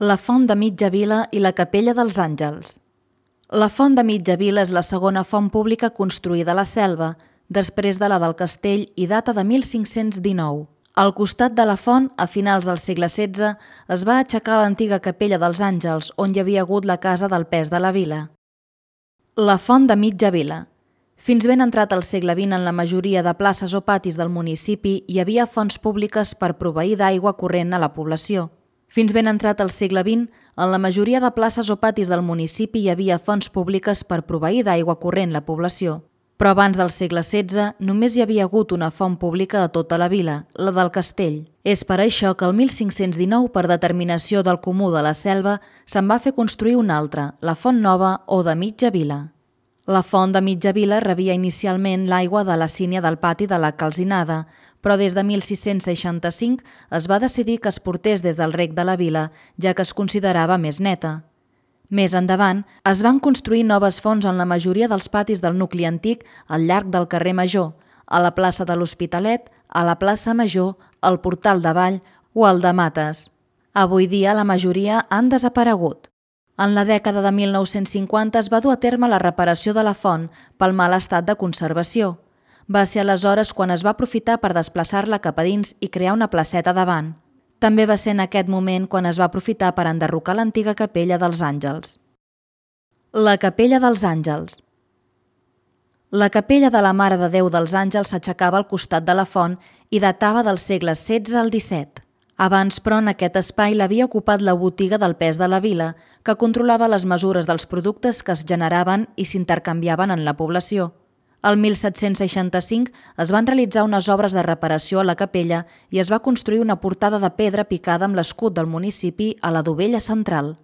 La Font de Mitja Vila i la Capella dels Àngels. La Font de Mitja Vila és la segona font pública construïda a la Selva, després de la del Castell i data de 1519. Al costat de la font, a finals del segle XVI, es va aixecar l'antiga Capella dels Àngels, on hi havia hagut la casa del pes de la vila. La Font de Mitja Vila. Fins ben entrat al segle XX, en la majoria de places o patis del municipi hi havia fonts públiques per proveir d'aigua corrent a la població. Fins ben entrat al segle XX, en la majoria de places o patis del municipi hi havia fonts públiques per proveir d'aigua corrent la població. Però abans del segle XVI només hi havia hagut una font pública a tota la vila, la del Castell. És per això que el 1519, per determinació del Comú de la Selva, se'n va fer construir una altra, la Font Nova o de Mitja Vila. La Font de Mitja Vila rebia inicialment l'aigua de la sínia del pati de la Calcinada, però des de 1665 es va decidir que es portés des del rec de la vila, ja que es considerava més neta. Més endavant, es van construir noves fonts en la majoria dels patis del nucli antic al llarg del carrer Major, a la plaça de l'Hospitalet, a la plaça Major, al Portal de Vall o al de Mates. Avui dia la majoria han desaparegut. En la dècada de 1950 es va dur a terme la reparació de la font pel mal estat de conservació. Va ser aleshores quan es va aprofitar per desplaçar-la cap a dins i crear una placeta davant. També va ser en aquest moment quan es va aprofitar per enderrocar l'antiga Capella dels Àngels. La Capella dels Àngels. La Capella de la Mare de Déu dels Àngels s'aixecava al costat de la font i datava del segle XVI al XVII. Abans, però, en aquest espai l'havia ocupat la botiga del pes de la vila, que controlava les mesures dels productes que es generaven i s'intercanviaven en la població. El 1765 es van realitzar unes obres de reparació a la capella i es va construir una portada de pedra picada amb l'escut del municipi a la dovella central.